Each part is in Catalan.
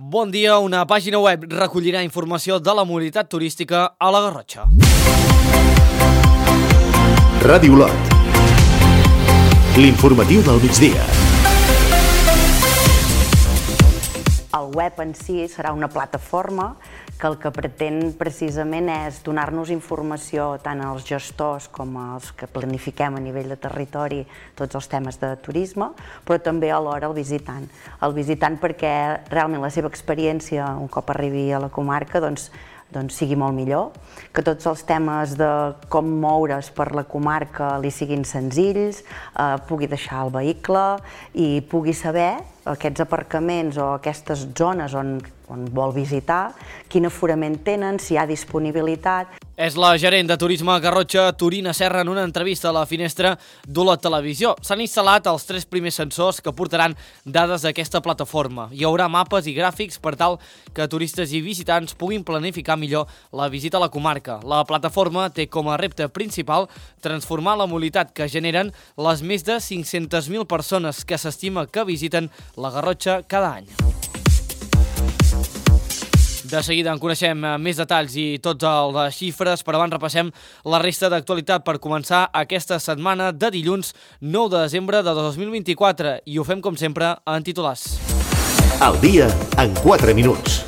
Bon dia, una pàgina web recollirà informació de la mobilitat turística a la Garrotxa. Ràdio Lot. L'informatiu del migdia. El web en si serà una plataforma que el que pretén precisament és donar-nos informació tant als gestors com als que planifiquem a nivell de territori tots els temes de turisme, però també alhora al visitant. El visitant perquè realment la seva experiència un cop arribi a la comarca doncs sigui molt millor, que tots els temes de com moure's per la comarca li siguin senzills, pugui deixar el vehicle i pugui saber aquests aparcaments o aquestes zones on vol visitar, quin aforament tenen, si hi ha disponibilitat. És la gerent de Turisme Garrotxa, Torina Serra, en una entrevista a la finestra d'Olot Televisió. S'han instal·lat els 3 primers sensors que portaran dades d'aquesta plataforma. Hi haurà mapes i gràfics per tal que turistes i visitants puguin planificar millor la visita a la comarca. La plataforma té com a repte principal transformar la mobilitat que generen les més de 500.000 persones que s'estima que visiten la Garrotxa cada any. De seguida en coneixem més detalls i tots les xifres, però abans repassem la resta d'actualitat per començar aquesta setmana de dilluns 9 de desembre de 2024 i ho fem com sempre en titulars. El dia en 4 minuts.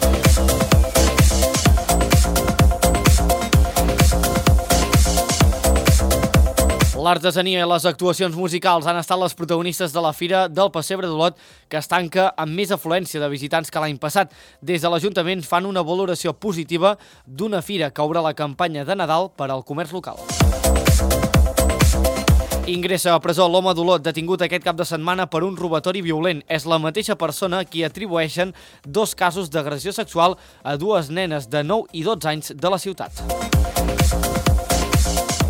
L'artesania i les actuacions musicals han estat les protagonistes de la Fira del Pessebre d'Olot, que es tanca amb més afluència de visitants que l'any passat. Des de l'Ajuntament fan una valoració positiva d'una fira que obre la campanya de Nadal per al comerç local. Ingressa a presó l'home d'Olot detingut aquest cap de setmana per un robatori violent. És la mateixa persona qui atribueixen 2 casos d'agressió sexual a 2 nenes de 9 i 12 anys de la ciutat.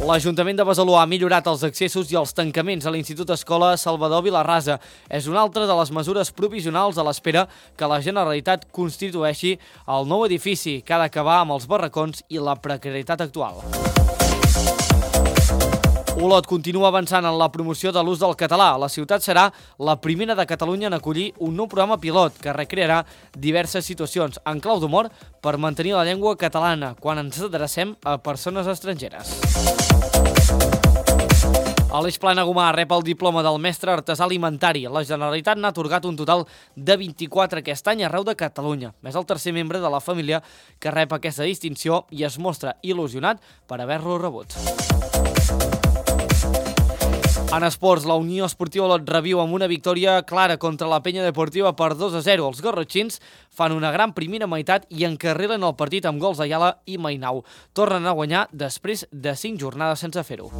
L'Ajuntament de Besalú ha millorat els accessos i els tancaments a l'Institut Escola Salvador Vilarrasa. És una altra de les mesures provisionals a l'espera que la Generalitat constitueixi el nou edifici, que ha d'acabar amb els barracons i la precarietat actual. Olot continua avançant en la promoció de l'ús del català. La ciutat serà la primera de Catalunya en acollir un nou programa pilot que recrearà diverses situacions en clau d'humor per mantenir la llengua catalana quan ens adrecem a persones estrangeres. Aleix Planagumà rep el diploma del mestre artesà alimentari. La Generalitat n'ha atorgat un total de 24 aquest any arreu de Catalunya. És el tercer membre de la família que rep aquesta distinció i es mostra il·lusionat per haver-lo rebut. En esports, la Unió Esportiva Olot reviu amb una victòria clara contra la Penya Deportiva per 2-0. Els garrotxins fan una gran primera meitat i encarrilen el partit amb gols d'Ayala i Mainau. Tornen a guanyar després de 5 jornades sense fer-ho.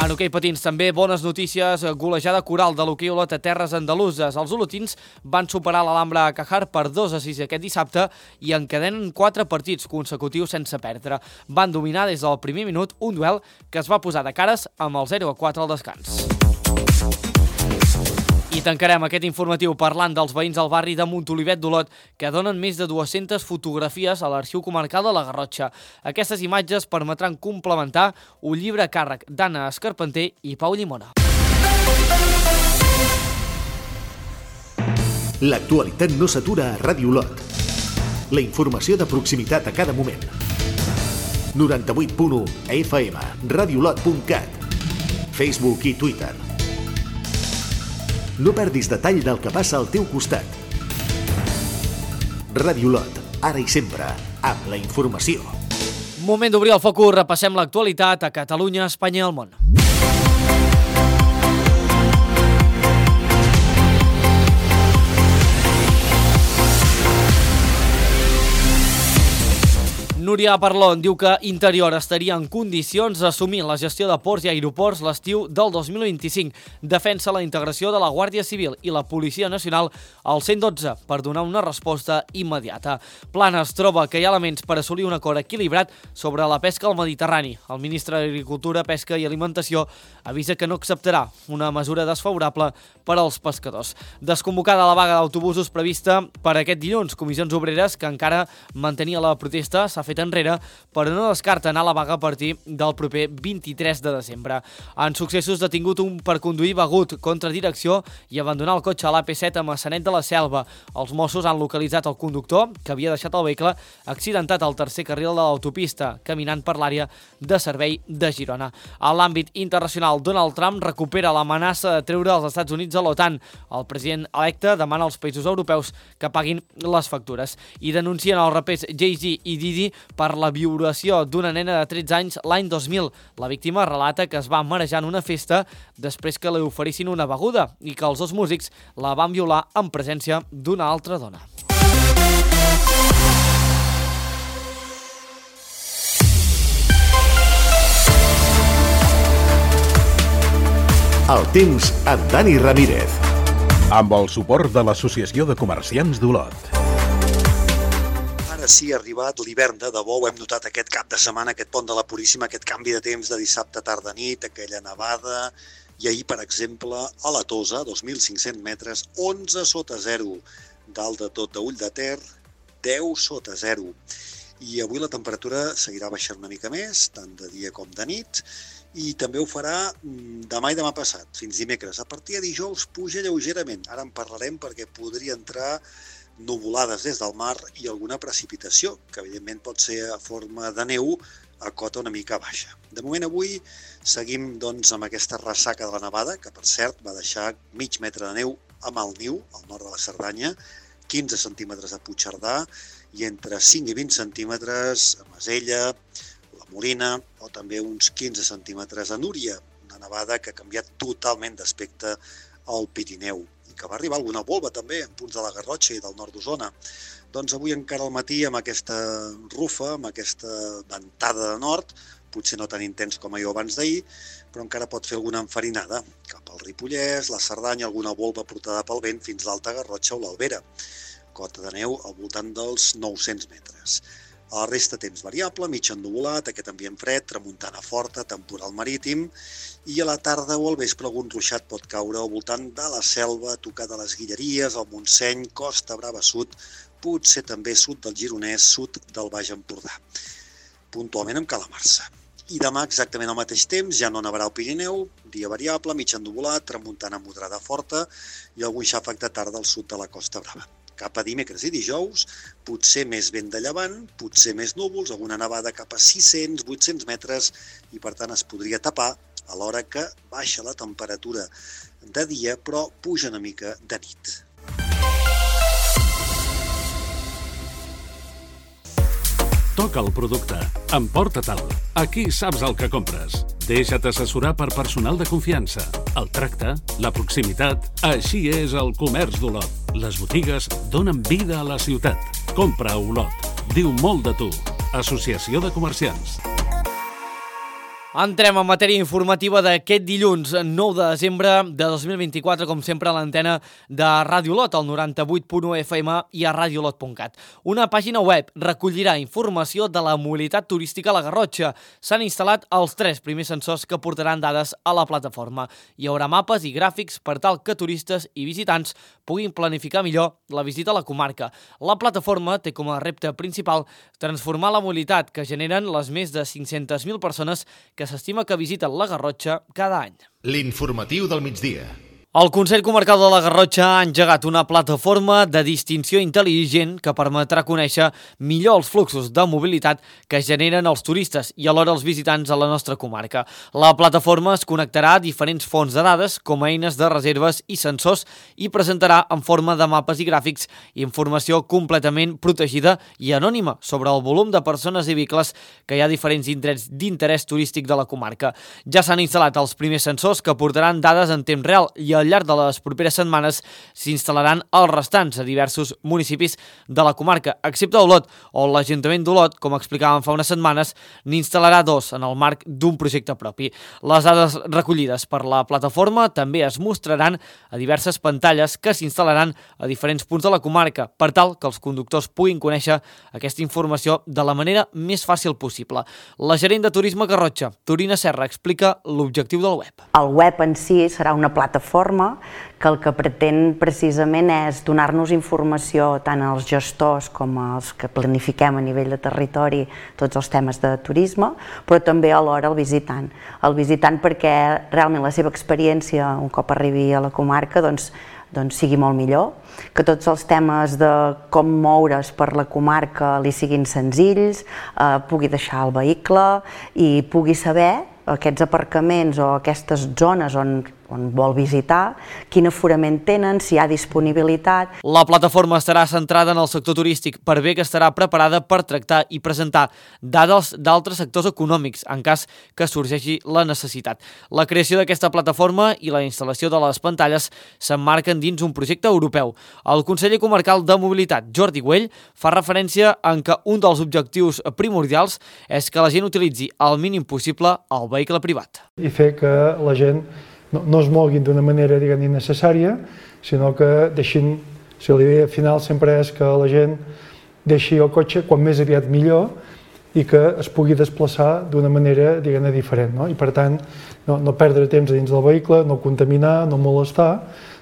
En hoquei patins també bones notícies, golejada coral de l'hoquei Olot a terres andaluses. Els olotins van superar l'Alhambra a Cajar per 2-6 aquest dissabte i encadenen 4 partits consecutius sense perdre. Van dominar des del primer minut un duel que es va posar de cares amb el 0-4 al descans. I tancarem aquest informatiu parlant dels veïns del barri de Montolivet d'Olot que donen més de 200 fotografies a l'Arxiu Comarcal de la Garrotxa. Aquestes imatges permetran complementar un llibre a càrrec d'Anna Escarpenter i Pau Llimona. L'actualitat no s'atura a Ràdio Olot. La informació de proximitat a cada moment. 98.1 FM, radiolot.cat, Facebook i Twitter. No perdis detall del que passa al teu costat. Ràdio Olot, ara i sempre, amb la informació. Moment d'obrir el focus, repassem l'actualitat a Catalunya, Espanya i el món. Núria Parlon diu que Interior estaria en condicions d'assumir la gestió de ports i aeroports l'estiu del 2025. Defensa la integració de la Guàrdia Civil i la Policia Nacional al 112 per donar una resposta immediata. Planes troba que hi ha elements per assolir un acord equilibrat sobre la pesca al Mediterrani. El ministre d'Agricultura, Pesca i Alimentació avisa que no acceptarà una mesura desfavorable per als pescadors. Desconvocada la vaga d'autobusos prevista per aquest dilluns, Comissions Obreres, que encara mantenia la protesta, s'ha fet enrere, però no descarta anar a la vaga a partir del proper 23 de desembre. En successos, detingut un per conduir begut contra direcció i abandonar el cotxe a l'AP7 a Maçanet de la Selva. Els Mossos han localitzat el conductor, que havia deixat el vehicle accidentat al tercer carril de l'autopista, caminant per l'àrea de servei de Girona. A l'àmbit internacional, Donald Trump recupera l'amenaça de treure els Estats Units a l'OTAN. El president electe demana als països europeus que paguin les factures i denuncien els rapers Jay-Z i Diddy per la violació d'una nena de 13 anys l'any 2000. La víctima relata que es va marejar en una festa després que li oferissin una beguda i que els dos músics la van violar en presència d'una altra dona. El temps amb Dani Ramírez. Amb el suport de l'Associació de Comerciants d'Olot. Ara sí ha arribat l'hivern de debò, ho hem notat aquest cap de setmana, aquest pont de la Puríssima, aquest canvi de temps de dissabte tarda-nit, aquella nevada, i ahir, per exemple, a la Tosa, 2.500 metres, 11 sota 0, dalt de tot d'Ull de Ter, 10 sota 0. I avui la temperatura seguirà baixant una mica més, tant de dia com de nit, i també ho farà demà i demà passat, fins dimecres. A partir de dijous puja lleugerament. Ara en parlarem perquè podria entrar nuvolades des del mar i alguna precipitació, que evidentment pot ser a forma de neu a cota una mica baixa. De moment avui seguim doncs, amb aquesta ressaca de la nevada, que per cert va deixar mig metre de neu a Malniu, al nord de la Cerdanya, 15 centímetres a Puigcerdà i entre 5 i 20 centímetres a Masella, la Molina o també uns 15 centímetres a Núria, una nevada que ha canviat totalment d'aspecte al Pirineu i que va arribar alguna volva també en punts de la Garrotxa i del nord d'Osona. Doncs avui encara al matí amb aquesta rufa, amb aquesta ventada de nord, potser no tan intens com ahir o abans d'ahir, però encara pot fer alguna enfarinada cap al Ripollès, la Cerdanya, alguna volva portada pel vent fins a l'Alta Garrotxa o l'Albera. Cota de neu al voltant dels 900 metres. A la resta temps variable, mig ennuvolat, aquest ambient fred, tramuntana forta, temporal marítim, i a la tarda o al vespre algun ruixat pot caure al voltant de la Selva, tocar de les Guilleries, el Montseny, Costa Brava Sud, potser també sud del Gironès, sud del Baix Empordà, puntualment amb calamarsa. I demà exactament al mateix temps, ja no nevarà al Pirineu, dia variable, mig ennuvolat, tramuntana moderada forta i algun xàfec de tarda al sud de la Costa Brava. Cap a dimecres i dijous, potser més vent de llevant, potser més núvols, alguna nevada cap a 600-800 metres i per tant es podria tapar a l'hora que baixa la temperatura de dia però puja una mica de nit. Toca el producte. Emporta-te'l. Aquí saps el que compres. Deixa't assessorar per personal de confiança. El tracte, la proximitat... Així és el comerç d'Olot. Les botigues donen vida a la ciutat. Compra a Olot. Diu molt de tu. Associació de Comerciants. Entrem en matèria informativa d'aquest dilluns 9 de desembre de 2024, com sempre a l'antena de Ràdio Olot, al 98.1 FM i a radiolot.cat. Una pàgina web recollirà informació de la mobilitat turística a la Garrotxa. S'han instal·lat els 3 primers sensors que portaran dades a la plataforma. Hi haurà mapes i gràfics per tal que turistes i visitants puguin planificar millor la visita a la comarca. La plataforma té com a repte principal transformar la mobilitat que generen les més de 500.000 persones que s'estima que visiten la Garrotxa cada any. L'informatiu del migdia. El Consell Comarcal de la Garrotxa ha engegat una plataforma de distinció intel·ligent que permetrà conèixer millor els fluxos de mobilitat que generen els turistes i alhora els visitants a la nostra comarca. La plataforma es connectarà a diferents fonts de dades com a eines de reserves i sensors i presentarà en forma de mapes i gràfics informació completament protegida i anònima sobre el volum de persones i vehicles que hi ha a diferents indrets d'interès turístic de la comarca. Ja s'han instal·lat els primers sensors que portaran dades en temps real i al llarg de les properes setmanes s'instal·laran els restants a diversos municipis de la comarca, excepte Olot, on l'Ajuntament d'Olot, com explicàvem fa unes setmanes, n'instal·larà 2 en el marc d'un projecte propi. Les dades recollides per la plataforma també es mostraran a diverses pantalles que s'instal·laran a diferents punts de la comarca, per tal que els conductors puguin conèixer aquesta informació de la manera més fàcil possible. La gerent de Turisme Garrotxa, Torina Serra, explica l'objectiu del web. El web en si serà una plataforma plataforma que el que pretén precisament és donar-nos informació tant als gestors com als que planifiquem a nivell de territori tots els temes de turisme, però també alhora al visitant. El visitant perquè realment la seva experiència un cop arribi a la comarca doncs sigui molt millor, que tots els temes de com moure's per la comarca li siguin senzills, pugui deixar el vehicle i pugui saber aquests aparcaments o aquestes zones on vol visitar, quin aforament tenen, si hi ha disponibilitat. La plataforma estarà centrada en el sector turístic, per bé que estarà preparada per tractar i presentar dades d'altres sectors econòmics, en cas que sorgeixi la necessitat. La creació d'aquesta plataforma i la instal·lació de les pantalles s'emmarquen dins un projecte europeu. El conseller comarcal de Mobilitat, Jordi Güell, fa referència en que un dels objectius primordials és que la gent utilitzi el mínim possible el vehicle privat. I fer que la gent no es moguin d'una manera, diguem, innecessària, sinó que deixin, si l'idea final sempre és que la gent deixi el cotxe quan més aviat millor i que es pugui desplaçar d'una manera, diguem-ne, diferent, no? I per tant, no perdre temps dins del vehicle, no contaminar, no molestar,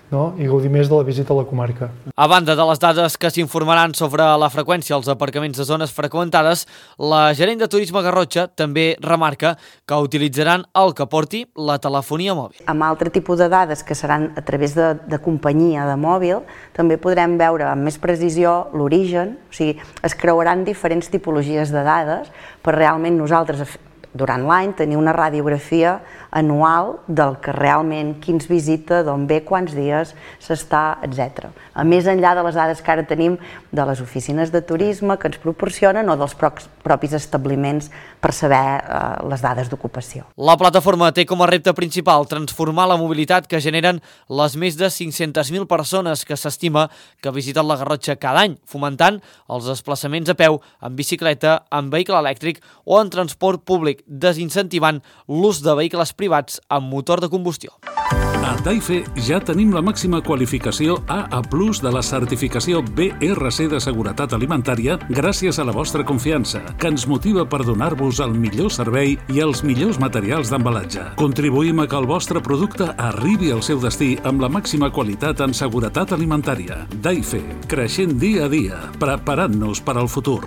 i gaudir més de la visita a la comarca. A banda de les dades que s'informaran sobre la freqüència als aparcaments de zones freqüentades, la gerent de Turisme Garrotxa també remarca que utilitzaran el que porti la telefonia mòbil. Amb altre tipus de dades que seran a través de companyia de mòbil, també podrem veure amb més precisió l'origen, o sigui, es creuaran diferents tipologies de dades per realment nosaltres durant l'any tenir una radiografia anual del que realment, qui ens visita, d'on ve, quants dies s'està, etc. A més enllà de les dades que ara tenim de les oficines de turisme que ens proporcionen o dels propis establiments per saber les dades d'ocupació. La plataforma té com a repte principal transformar la mobilitat que generen les més de 500.000 persones que s'estima que visiten la Garrotxa cada any, fomentant els desplaçaments a peu, en bicicleta, en vehicle elèctric o en transport públic, desincentivant l'ús de vehicles privats amb motor de combustió. A Daife ja tenim la màxima qualificació AA+ de la certificació BRC de seguretat alimentària gràcies a la vostra confiança, que ens motiva per donar-vos el millor servei i els millors materials d'embalatge. Contribuïm a que el vostre producte arribi al seu destí amb la màxima qualitat en seguretat alimentària. Daife, creixent dia a dia, preparant-nos per al futur.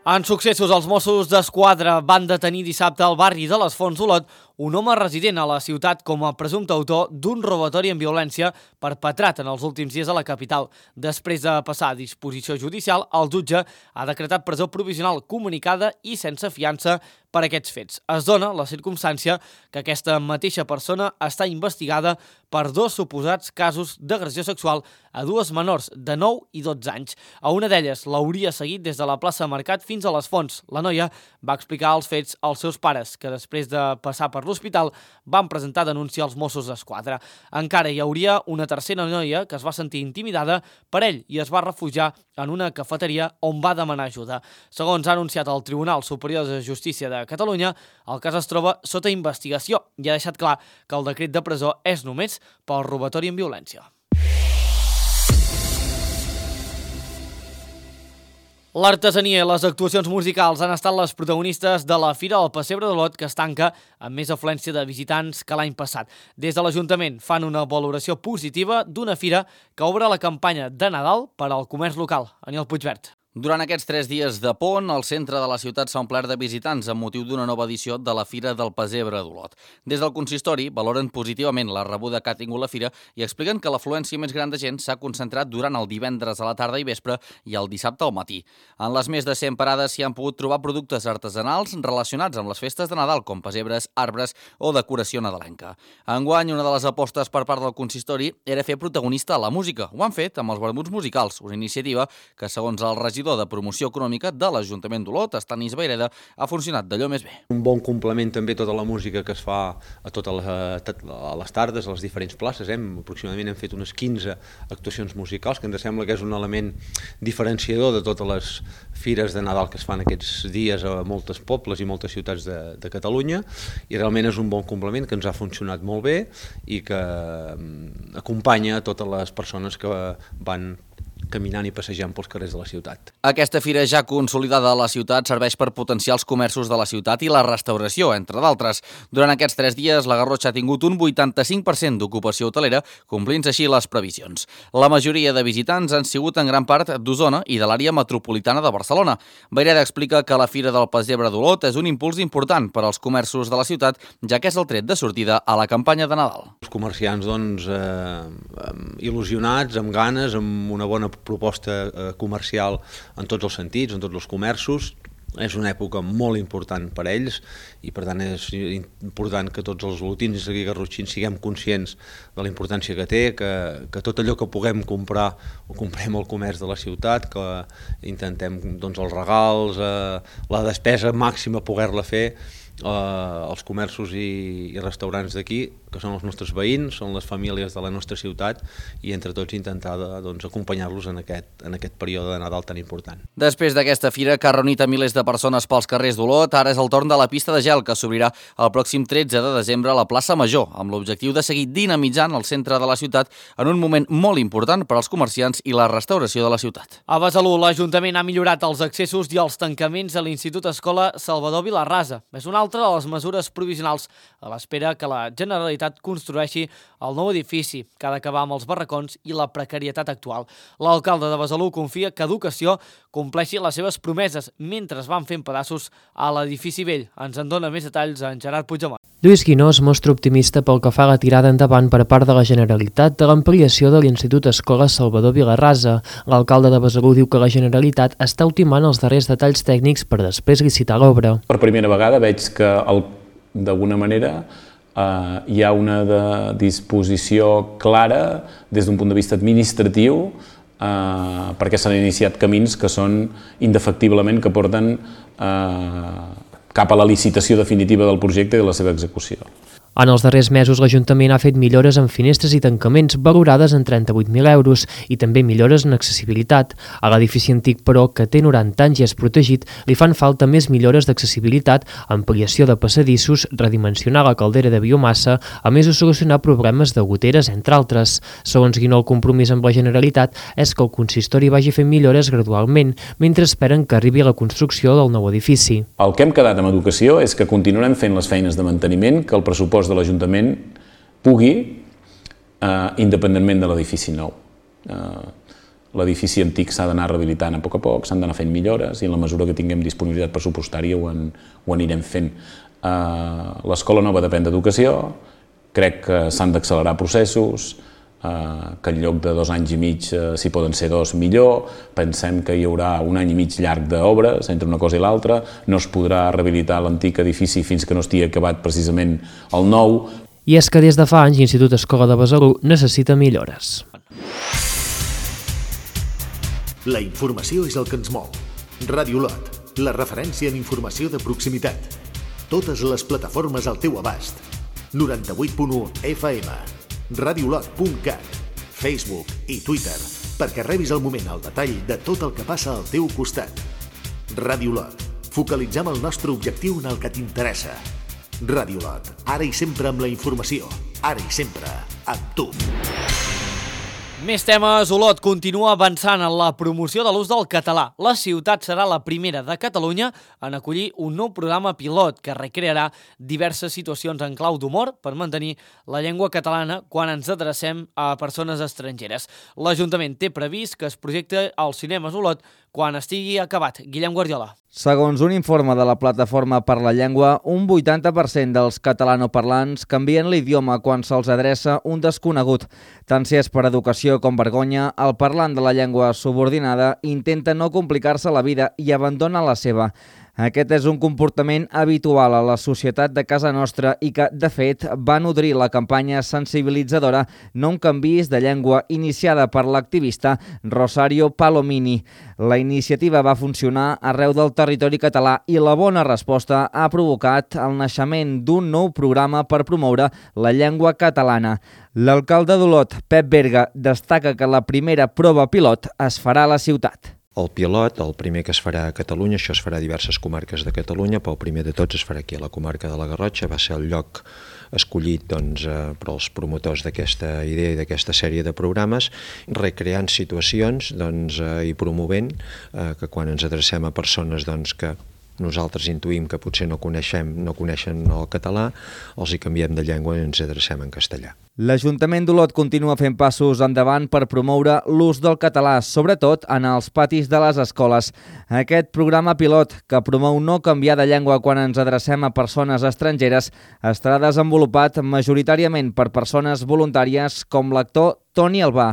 En successos, els Mossos d'Esquadra van detenir dissabte al barri de les Fonts d'Olot un home resident a la ciutat com a presumpte autor d'un robatori amb violència perpetrat en els últims dies a la capital. Després de passar a disposició judicial, el jutge ha decretat presó provisional comunicada i sense fiança per aquests fets. Es dona la circumstància que aquesta mateixa persona està investigada per 2 suposats casos d'agressió sexual a 2 menors de 9 i 12 anys. A una d'elles l'hauria seguit des de la plaça Mercat fins a les Fonts. La noia va explicar els fets als seus pares, que després de passar per l'hospital van presentar denúncia als Mossos d'Esquadra. Encara hi hauria una tercera noia que es va sentir intimidada per ell i es va refugiar en una cafeteria on va demanar ajuda. Segons ha anunciat el Tribunal Superior de Justícia de Catalunya, el cas es troba sota investigació i ha deixat clar que el decret de presó és només pel robatori amb violència. L'artesania i les actuacions musicals han estat les protagonistes de la Fira del Pessebre d'Olot, que es tanca amb més afluència de visitants que l'any passat. Des de l'Ajuntament fan una valoració positiva d'una fira que obre la campanya de Nadal per al comerç local. Aniol Puigvert. Durant aquests 3 dies de pont, el centre de la ciutat s'ha omplert de visitants amb motiu d'una nova edició de la Fira del Pessebre d'Olot. Des del consistori valoren positivament la rebuda que ha tingut la fira i expliquen que l'afluència més gran de gent s'ha concentrat durant el divendres a la tarda i vespre i el dissabte al matí. En les més de 100 parades s'hi han pogut trobar productes artesanals relacionats amb les festes de Nadal, com pessebres, arbres o decoració nadalenca. Enguany, una de les apostes per part del consistori era fer protagonista a la música. Ho han fet amb els vermuts musicals, una iniciativa que, segons el regidor de Promoció Econòmica de l'Ajuntament d'Olot, Estanis Vayreda, ha funcionat d'allò més bé. Un bon complement també tota la música que es fa a les tardes, a les diferents places. Aproximadament hem fet unes 15 actuacions musicals, que ens sembla que és un element diferenciador de totes les fires de Nadal que es fan aquests dies a molts pobles i moltes ciutats de Catalunya, i realment és un bon complement que ens ha funcionat molt bé i que acompanya a totes les persones que van caminant i passejant pels carrers de la ciutat. Aquesta fira ja consolidada a la ciutat serveix per potenciar els comerços de la ciutat i la restauració, entre d'altres. Durant aquests 3 dies, la Garrotxa ha tingut un 85% d'ocupació hotelera, complint així les previsions. La majoria de visitants han sigut en gran part d'Osona i de l'àrea metropolitana de Barcelona. Vaireda explica que la Fira del Pessebre d'Olot és un impuls important per als comerços de la ciutat, ja que és el tret de sortida a la campanya de Nadal. Els comerciants, doncs, il·lusionats, amb ganes, amb una bona proposta comercial en tots els sentits, en tots els comerços. És una època molt important per a ells i, per tant, és important que tots els olotins i garrotxins siguem conscients de la importància que té, que tot allò que puguem comprar ho comprem al comerç de la ciutat, que intentem, doncs, els regals, la despesa màxima poder-la fer als comerços i restaurants d'aquí, que són els nostres veïns, són les famílies de la nostra ciutat, i entre tots intentar, doncs, acompanyar-los en aquest període de Nadal tan important. Després d'aquesta fira que ha reunit a milers de persones pels carrers d'Olot, ara és el torn de la pista de gel que s'obrirà el pròxim 13 de desembre a la plaça Major, amb l'objectiu de seguir dinamitzant el centre de la ciutat en un moment molt important per als comerciants i la restauració de la ciutat. A Besalú, l'Ajuntament ha millorat els accessos i els tancaments a l'Institut Escola Salvador Vilarrasa. És una altra de les mesures provisionals a l'espera que la Generalitat construeixi el nou edifici, que ha d'acabar amb els barracons i la precarietat actual. L'alcalde de Besalú confia que Educació compleixi les seves promeses mentre es van fent pedaços a l'edifici vell. Ens en dona més detalls en Gerard Puigdemont. Lluís Guinó es mostra optimista pel que fa a la tirada endavant per part de la Generalitat de l'ampliació de l'Institut Escola Salvador Vilarrasa. L'alcalde de Besalú diu que la Generalitat està ultimant els darrers detalls tècnics per després licitar l'obra. Per primera vegada veig que d'alguna manera hi ha una disposició clara des d'un punt de vista administratiu perquè s'han iniciat camins que són indefectiblement que porten cap a la licitació definitiva del projecte i de la seva execució. En els darrers mesos, l'Ajuntament ha fet millores en finestres i tancaments valorades en 38.000 euros i també millores en accessibilitat. A l'edifici antic, però, que té 90 anys i és protegit, li fan falta més millores d'accessibilitat, ampliació de passadissos, redimensionar la caldera de biomassa, a més de solucionar problemes de goteres, entre altres. Segons Guinó, el compromís amb la Generalitat és que el consistori vagi fent millores gradualment, mentre esperen que arribi la construcció del nou edifici. El que hem quedat amb Educació és que continuarem fent les feines de manteniment que el pressupost de l'Ajuntament pugui, independentment de l'edifici nou. L'edifici antic s'ha d'anar rehabilitant a poc, s'han d'anar fent millores i en la mesura que tinguem disponibilitat pressupostària ho anirem fent. L'escola nova depèn d'Educació, crec que s'han d'accelerar processos, que en lloc de 2 anys i mig si poden ser 2 millor, pensem que hi haurà 1 any i mig llarg d'obres entre una cosa i l'altra, no es podrà rehabilitar l'antic edifici fins que no estigui acabat precisament el nou. I és que des de fa anys l'Institut Escola de Besalú necessita millores. La informació és el que ens mou. Ràdio Olot, la referència en informació de proximitat. Totes les plataformes al teu abast. 98.1 FM. radiolot.cat, Facebook i Twitter, perquè rebis al moment el detall de tot el que passa al teu costat. Ràdio Olot, focalitzem el nostre objectiu en el que t'interessa. Ràdio Olot, ara i sempre amb la informació, ara i sempre amb tu. Més temes. Olot continua avançant en la promoció de l'ús del català. La ciutat serà la primera de Catalunya en acollir un nou programa pilot que recrearà diverses situacions en clau d'humor per mantenir la llengua catalana quan ens adrecem a persones estrangeres. L'Ajuntament té previst que es projecte als cinemes Olot quan estigui acabat. Guillem Guardiola. Segons un informe de la Plataforma per la Llengua, un 80% dels catalanoparlants canvien l'idioma quan se'ls adreça un desconegut. Tant si és per educació com vergonya, el parlant de la llengua subordinada intenta no complicar-se la vida i abandona la seva. Aquest és un comportament habitual a la societat de casa nostra i que, de fet, va nodrir la campanya sensibilitzadora No em canviïs de llengua iniciada per l'activista Rosario Palomini. La iniciativa va funcionar arreu del territori català i la bona resposta ha provocat el naixement d'un nou programa per promoure la llengua catalana. L'alcalde d'Olot, Pep Berga, destaca que la primera prova pilot es farà a la ciutat. El pilot, el primer que es farà a Catalunya, això es farà a diverses comarques de Catalunya, però el primer de tots es farà aquí a la comarca de la Garrotxa, va ser el lloc escollit per als promotors d'aquesta idea i d'aquesta sèrie de programes, recreant situacions i promovent que quan ens adrecem a persones que nosaltres intuïm que potser no coneixen el català, els hi canviem de llengua i ens adrecem en castellà. L'Ajuntament d'Olot continua fent passos endavant per promoure l'ús del català, sobretot en els patis de les escoles. Aquest programa pilot, que promou no canviar de llengua quan ens adrecem a persones estrangeres, estarà desenvolupat majoritàriament per persones voluntàries com l'actor Toni Albà.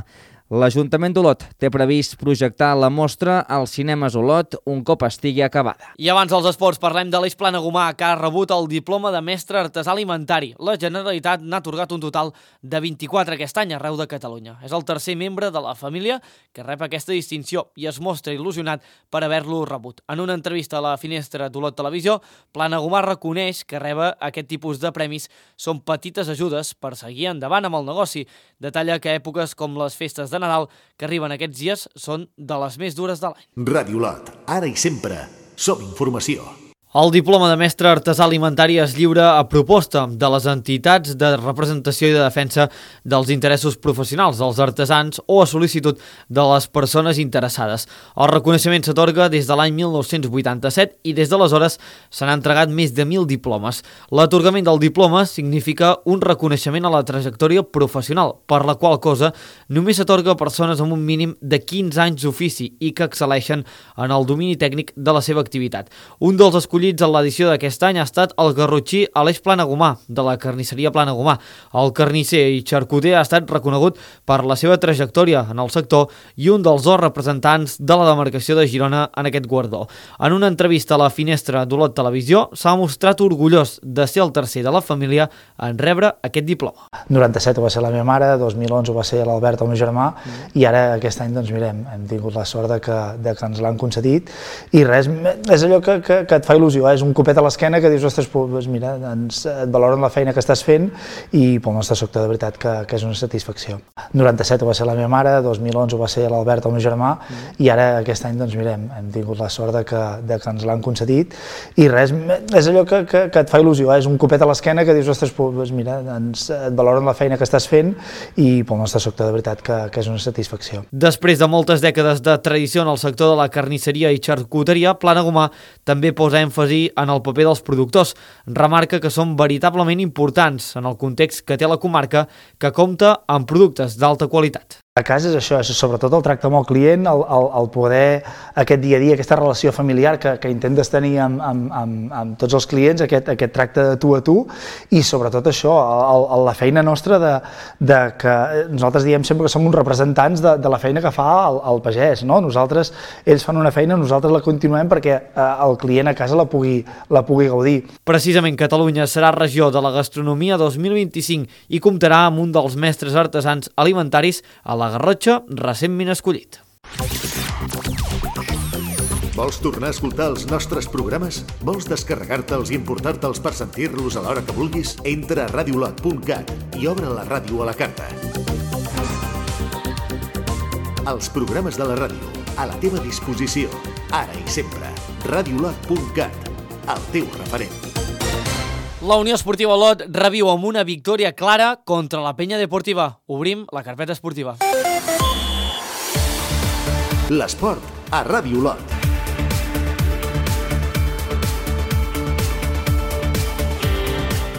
L'Ajuntament d'Olot té previst projectar la mostra als cinemes Olot un cop estigui acabada. I abans dels esports parlem de l'Eix Planagumà, que ha rebut el diploma de mestre artesà alimentari. La Generalitat n'ha atorgat un total de 24 aquest any arreu de Catalunya. És el tercer membre de la família que rep aquesta distinció i es mostra il·lusionat per haver-lo rebut. En una entrevista a la Finestra d'Olot Televisió, Planagumà reconeix que rebre aquest tipus de premis són petites ajudes per seguir endavant amb el negoci. Detalla que èpoques com les festes de Nadal que arriben aquests dies són de les més dures de l'any. Ràdio Olot, ara i sempre, som informació. El diploma de mestre artesà alimentari es lliura a proposta de les entitats de representació i de defensa dels interessos professionals dels artesans o a sol·licitud de les persones interessades. El reconeixement s'atorga des de l'any 1987 i des d'aleshores s'han entregat més de 1.000 diplomes. L'atorgament del diploma significa un reconeixement a la trajectòria professional, per la qual cosa només s'atorga a persones amb un mínim de 15 anys d'ofici i que excel·leixen en el domini tècnic de la seva activitat. Un dels escollits en l'edició d'aquest any ha estat el garrotxí Aleix Planagumà, de la carnisseria Planagumà. El carnisser i xarcuter ha estat reconegut per la seva trajectòria en el sector i un dels dos representants de la demarcació de Girona en aquest guardó. En una entrevista a la Finestra d'Olot Televisió s'ha mostrat orgullós de ser el tercer de la família en rebre aquest diploma. 97 va ser la meva mare, 2011 va ser l'Albert, el meu germà, i ara aquest any, doncs mirem, hem tingut la sort de que ens l'han concedit i res, és allò que et fa il·lusió, és un copet a l'esquena que dius, ostres, doncs mira, et valoren la feina que estàs fent i pel nostre sector de veritat que és una satisfacció. 97 va ser la meva mare, 2011 va ser l'Albert, el meu germà, i ara aquest any, doncs mirem, hem tingut la sort de que ens l'han concedit i res, és allò que et fa il·lusió, és un copet a l'esquena que dius, ostres, doncs mira, et valoren la feina que estàs fent i pel nostre sector de veritat que és una satisfacció. Després de moltes dècades de tradició en el sector de la carnisseria i xarcuteria, Planagumà també posa èmfasi en el paper dels productors. Remarca que són veritablement importants en el context que té la comarca, que compta amb productes d'alta qualitat. A casa és això, és sobretot el tracte amb el client, el poder, aquest dia a dia, aquesta relació familiar que intentes tenir amb tots els clients, aquest tracte de tu a tu, i sobretot això, la feina nostra de que nosaltres diem sempre que som uns representants de la feina que fa el pagès, no? Nosaltres, ells fan una feina, nosaltres la continuem perquè el client a casa la pugui gaudir. Precisament Catalunya serà regió de la gastronomia 2025 i comptarà amb un dels mestres artesans alimentaris a la Garrotxa, recentment escollit. Vols tornar a escoltar els nostres programes? Vols descarregar-te'ls i emportar-te'ls per sentir-los a l'hora que vulguis? Entra a radiolot.cat i obre la ràdio a la carta. Els programes de la ràdio, a la teva disposició, ara i sempre. Radiolot.cat, el teu referent. La Unió Esportiva Olot reviu amb una victòria clara contra la Penya Deportiva. Obrim la carpeta esportiva. L'esport a Ràdio Olot.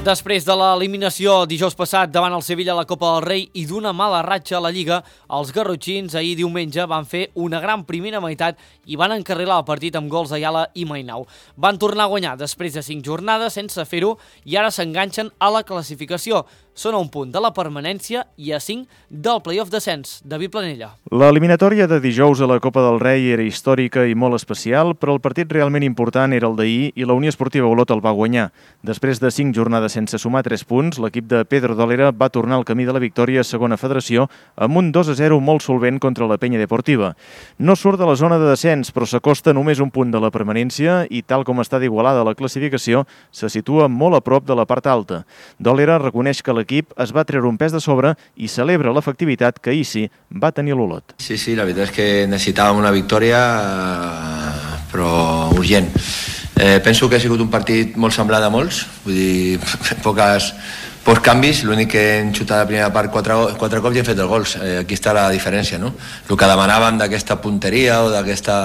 Després de l'eliminació dijous passat davant el Sevilla a la Copa del Rei i d'una mala ratxa a la Lliga, els garrotxins ahir diumenge van fer una gran primera meitat i van encarrilar el partit amb gols d'Ayala i Mainau. Van tornar a guanyar després de 5 jornades sense fer-ho i ara s'enganxen a la classificació. Són a un punt de la permanència i a 5 del play-off descens. David Planella. L'eliminatòria de dijous a la Copa del Rei era històrica i molt especial, però el partit realment important era el d'ahir i la Unió Esportiva Olot el va guanyar. Després de 5 jornades sense sumar 3 punts, l'equip de Pedro Dolera va tornar al camí de la victòria a segona federació amb un 2-0 molt solvent contra la Penya Deportiva. No surt de la zona de descens, però s'acosta només un punt de la permanència i, tal com està d'igualada la classificació, se situa molt a prop de la part alta. Dolera reconeix que l'equip es va treure un pes de sobre i celebra l'efectivitat que ahir sí va tenir l'Olot. Sí, la veritat és que necessitàvem una victòria, però urgent. Penso que ha sigut un partit molt semblant a molts, vull dir, pocs canvis, l'únic que hem xutat a la primera part 4 cops i hem fet els gols. Aquí està la diferència, no? El que demanàvem d'aquesta punteria o d'aquesta...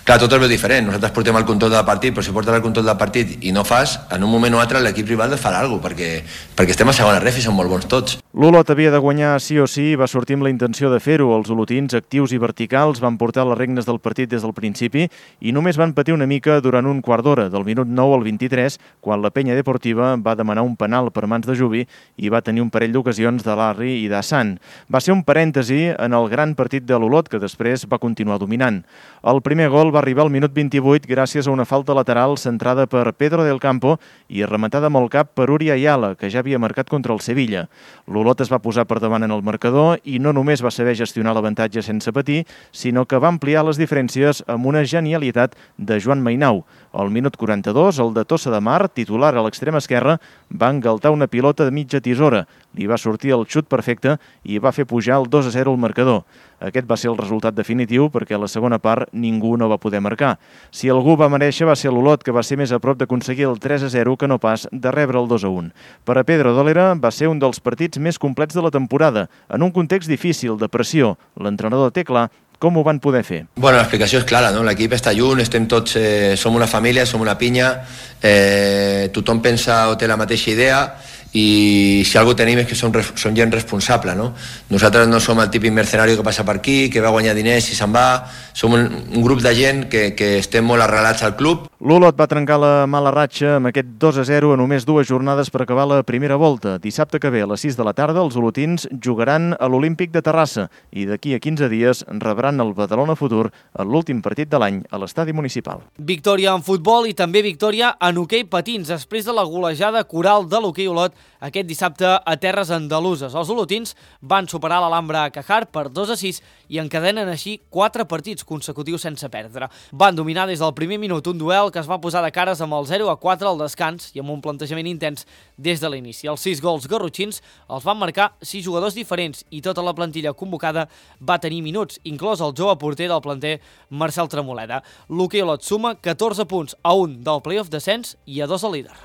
Clar, tot és diferent, nosaltres portem el control del partit, però si portes el control del partit i no fas, en un moment o altre l'equip rival et farà alguna cosa, perquè estem a segona ref i som molt bons tots. L'Olot havia de guanyar sí o sí i va sortir amb la intenció de fer-ho. Els olotins, actius i verticals, van portar les regnes del partit des del principi i només van patir una mica durant un quart d'hora, del minut 9 al 23, quan la Penya Deportiva va demanar un penal per mans de Jubi i va tenir un parell d'ocasions de Larry i d'Hassan. Va ser un parèntesi en el gran partit de l'Olot, que després va continuar dominant. El primer gol va arribar al minut 28 gràcies a una falta lateral centrada per Pedro del Campo i rematada amb el cap per Uri Ayala, que ja havia marcat contra el Sevilla. L'Olot es va posar per davant en el marcador i no només va saber gestionar l'avantatge sense patir, sinó que va ampliar les diferències amb una genialitat de Joan Mainau. Al minut 42, el de Tossa de Mar, titular a l'extrem esquerra, va engaltar una pilota de mitja tisora. Li va sortir el xut perfecte i va fer pujar el 2-0 al marcador. Aquest va ser el resultat definitiu perquè a la segona part ningú no va poder marcar. Si algú va mereixer va ser l'Olot, que va ser més a prop d'aconseguir el 3-0 que no pas de rebre el 2-1. Per a Pedro Dolera va ser un dels partits més complets de la temporada, en un context difícil, de pressió. L'entrenador té clar com ho van poder fer. Bueno, l'explicació és clara, no? L'equip està junt, estem tots, som una família, som una pinya, tothom pensa o té la mateixa idea i si alguna cosa tenim és que som gent responsable, no? Nosaltres no som el típic mercenari que passa per aquí, que va guanyar diners i se'n va, som un grup de gent que estem molt arrelats al club. L'Olot va trencar la mala ratxa amb aquest 2-0 a només 2 jornades per acabar la primera volta. Dissabte que ve a les 6 de la tarda els olotins jugaran a l'Olímpic de Terrassa i d'aquí a 15 dies rebran el Badalona Futur en l'últim partit de l'any a l'estadi municipal. Victòria en futbol i també victòria en hoquei patins després de la golejada coral de l'hoquei Olot aquest dissabte a terres andaluses. Els olotins van superar l'Alhambra Cajar per 2-6 i encadenen així 4 partits consecutius sense perdre. Van dominar des del primer minut un duel que es va posar de cares amb el 0-4 al descans i amb un plantejament intens des de l'inici. Els 6 gols garrotxins els van marcar 6 jugadors diferents i tota la plantilla convocada va tenir minuts, inclòs el jove porter del planter Marcel Tremoleda. L'hoquei Olot suma 14 punts a 1 del play-off descens i a 2 al líder.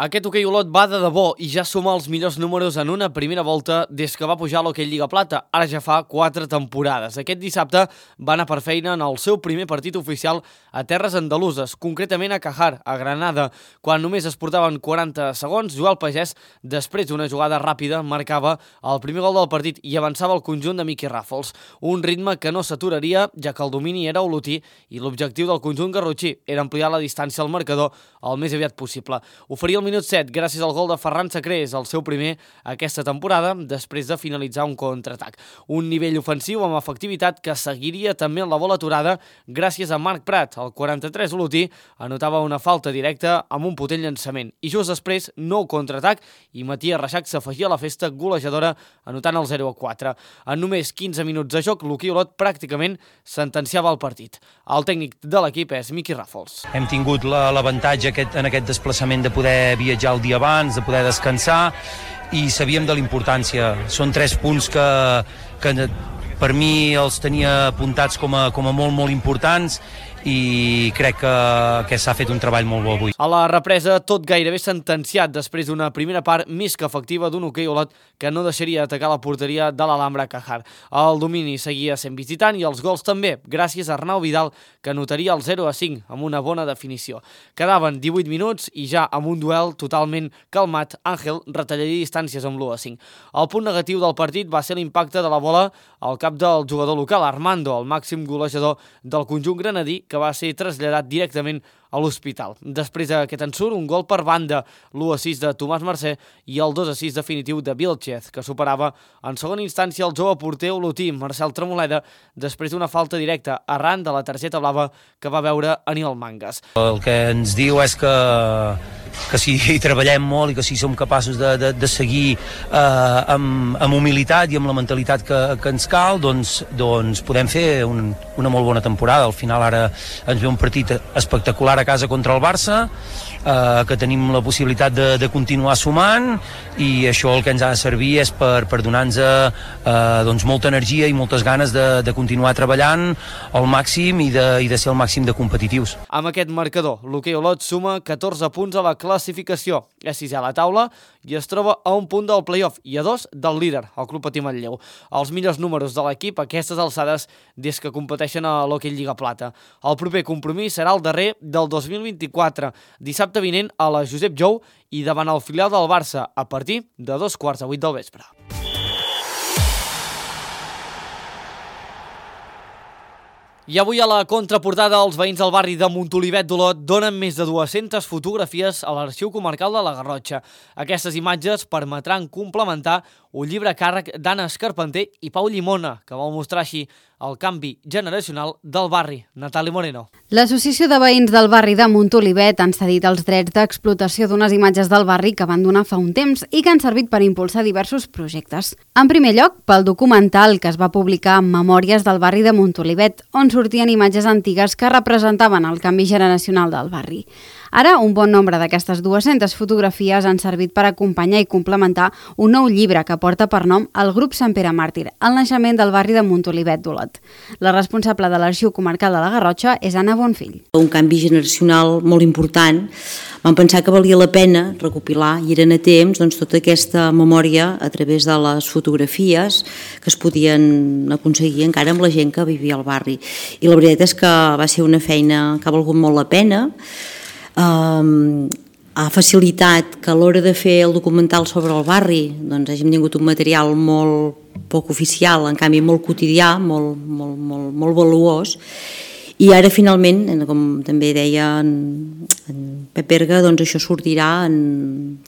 Aquest hoquei Olot va de debò i ja suma els millors números en una primera volta des que va pujar a l'hoquei Lliga Plata, ara ja fa 4 temporades. Aquest dissabte va anar per feina en el seu primer partit oficial a terres andaluses, concretament a Cajar, a Granada. Quan només es portaven 40 segons, Joel Pagès, després d'una jugada ràpida, marcava el primer gol del partit i avançava el conjunt de Miqui Ràfols. Un ritme que no s'aturaria, ja que el domini era olotí i l'objectiu del conjunt garrotxí era ampliar la distància al marcador el més aviat possible. Oferia el minut 7 gràcies al gol de Ferran Sacrés, el seu primer aquesta temporada, després de finalitzar un contraatac. Un nivell ofensiu amb efectivitat que seguiria també en la bola aturada gràcies a Marc Prat. El 43 olotí anotava una falta directa amb un potent llançament. I just després, nou contraatac i Matías Reixac s'afegia a la festa golejadora anotant el 0-4. En només 15 minuts de joc, l'hoquei Olot pràcticament sentenciava el partit. El tècnic de l'equip és Miqui Ràfols. Hem tingut l'avantatge en aquest desplaçament de poder viatjar el dia abans, de poder descansar i sabíem de la importància. Són 3 punts que per mi els tenia apuntats com a molt importants i crec que s'ha fet un treball molt bo avui. A la represa, tot gairebé sentenciat després d'una primera part més que efectiva d'un hoquei Olot que no deixaria atacar la porteria de l'Alhambra Cajar. El domini seguia sent visitant i els gols també, gràcies a Arnau Vidal, que anotaria el 0-5 amb una bona definició. Quedaven 18 minuts i ja amb un duel totalment calmat, Àngel retallaria distàncies amb l'1-5. El punt negatiu del partit va ser l'impacte de la bola al cap del jugador local, Armando, el màxim golejador del conjunt granadí, que va ser traslladat directament a l'hospital. Després d'aquest ensurt, un gol per banda, l'1-6 de Tomàs Mercè i el 2-6 definitiu de Vilchez, que superava en segona instància el jove porter olotí, Marcel Tremoleda, després d'una falta directa arran de la targeta blava que va veure Aníbal Mangas. El que ens diu és que si hi treballem molt i que si som capaços de seguir amb humilitat i amb la mentalitat que ens cal, doncs podem fer una molt bona temporada. Al final ara ens ve un partit espectacular a casa contra el Barça que tenim la possibilitat de continuar sumant, i això el que ens ha de servir és per donar-nos doncs, molta energia i moltes ganes de continuar treballant al màxim i de ser al màxim de competitius. Amb aquest marcador, l'Hoquei Olot suma 14 punts a la classificació, és sisè a la taula i es troba a un punt del play-off i a 2 del líder, el Club Patí Manlleu. Els millors números de l'equip a aquestes alçades des que competeixen a l'Hoquei Lliga Plata. El proper compromís serà el darrer del 2024, dissabte vinent a la Josep Jou i davant el filial del Barça a partir de 7:45 del vespre. I avui a la contraportada els veïns del barri de Montolivet d'Olot donen més de 200 fotografies a l'Arxiu Comarcal de la Garrotxa. Aquestes imatges permetran complementar un llibre a càrrec d'Anna Escarpenter i Pau Llimona, que vol mostrar així el canvi generacional del barri. Natàlia Moreno. L'Associació de Veïns del barri de Montolivet han cedit els drets d'explotació d'unes imatges del barri que van donar fa un temps i que han servit per impulsar diversos projectes. En primer lloc, pel documental que es va publicar en Memòries del barri de Montolivet, on sortien imatges antigues que representaven el canvi generacional del barri. Ara, un bon nombre d'aquestes 200 fotografies han servit per acompanyar i complementar un nou llibre que porta per nom el grup Sant Pere Màrtir, el naixement del barri de Montolivet d'Olot. La responsable de l'Arxiu Comarcal de la Garrotxa és Anna Bonfill. Un canvi generacional molt important. Vam pensar que valia la pena recopilar, i eren a temps, doncs, tota aquesta memòria a través de les fotografies que es podien aconseguir encara amb la gent que vivia al barri. I la veritat és que va ser una feina que ha valgut molt la pena. Ha facilitat que a l'hora de fer el documental sobre el barri doncs hàgim tingut un material molt poc oficial, en canvi molt quotidià, molt valuós, i ara finalment, com també deia en Pep Berga, doncs això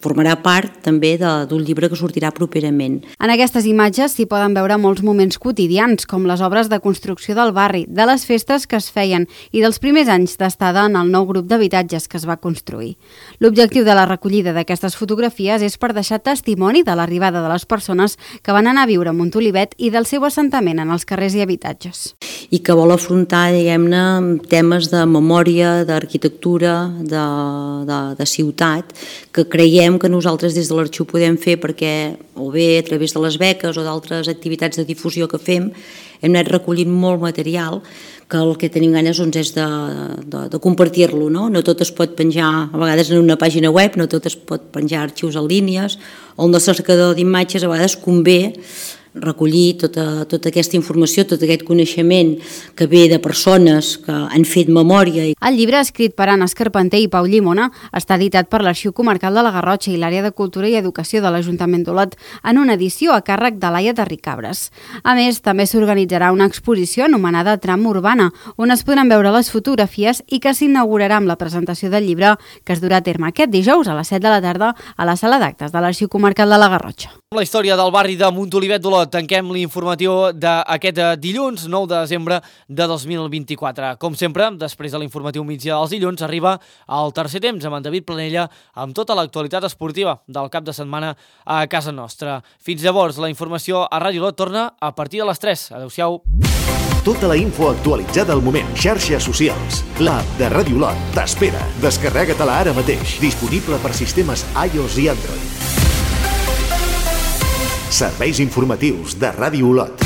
formarà part també d'un llibre que sortirà properament. En aquestes imatges s'hi poden veure molts moments quotidians, com les obres de construcció del barri, de les festes que es feien i dels primers anys d'estada en el nou grup d'habitatges que es va construir. L'objectiu de la recollida d'aquestes fotografies és per deixar testimoni de l'arribada de les persones que van anar a viure a Montolivet i del seu assentament en els carrers i habitatges. I que vol afrontar, diguem-ne, temes de memòria, d'arquitectura, de ciutat, que creiem que nosaltres des de l'Arxiu podem fer perquè, o bé a través de les beques o d'altres activitats de difusió que fem, hem anat recollint molt material que el que tenim ganes és de compartir-lo. No tot es pot penjar a vegades en una pàgina web, no tot es pot penjar arxius en línies, o el nostre cercador d'imatges a vegades convé recollir tota aquesta informació, tot aquest coneixement que ve de persones que han fet memòria. El llibre, escrit per Anna Escarpenter i Pau Llimona, està editat per l'Arxiu Comarcal de la Garrotxa i l'Àrea de Cultura i Educació de l'Ajuntament d'Olot en una edició a càrrec de Laia Terricabres. A més, també s'organitzarà una exposició anomenada Tram Urbana, on es podran veure les fotografies i que s'inaugurarà amb la presentació del llibre que es durà a terme aquest dijous a les 7 de la tarda a la sala d'actes de l'Arxiu Comarcal de la Garrotxa. La història del barri de Montolivet d'Olot. Tanquem l'informatiu d'aquest dilluns 9 de desembre de 2024. Com sempre, després de l'informatiu migdia dels dilluns, arriba el tercer temps amb en David Planella amb tota l'actualitat esportiva del cap de setmana a casa nostra. Fins llavors, la informació a Ràdio Olot torna a partir de les 3. Adéu-siau. Tota la info actualitzada al moment. Xarxes socials. L'app de Ràdio Olot t'espera. Descarrega-te-la ara mateix. Disponible per sistemes iOS i Android. Serveis informatius de Ràdio Olot.